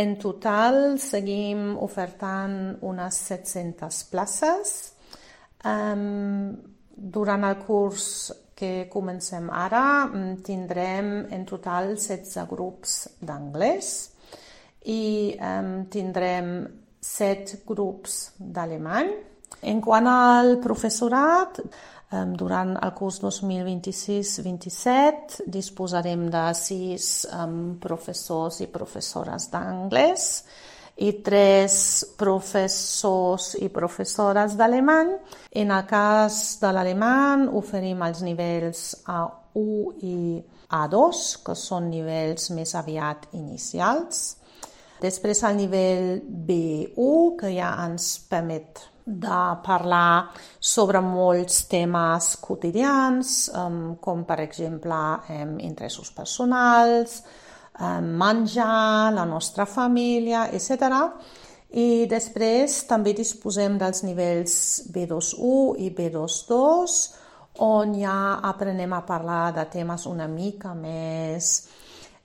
En total seguim ofertant unes 700 places. Durant el curs que comencem ara tindrem en total 16 grups d'anglès i tindrem 7 grups d'alemany. En quant al professorat, durant el curs 2026-27 disposarem de 6 professors i professores d'anglès i 3 professors i professores d'alemany. En el cas de l'alemany oferim els nivells A1 i A2, que són nivells més aviat inicials. Després el nivell B1, que ja ens permet de parlar sobre molts temes quotidians, com per exemple interessos personals, menjar, la nostra família, etc. I després també disposem dels nivells B2.1 i B2.2, on ja aprenem a parlar de temes una mica més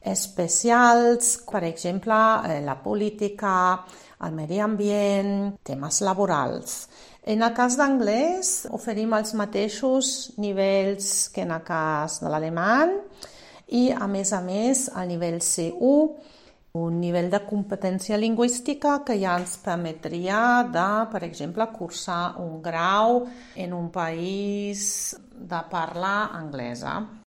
especials, per exemple, la política, el medi ambient, temes laborals. En el cas d'anglès oferim els mateixos nivells que en el cas de l'alemany i, a més, el nivell C1, un nivell de competència lingüística que ja ens permetria de, per exemple, cursar un grau en un país de parla anglesa.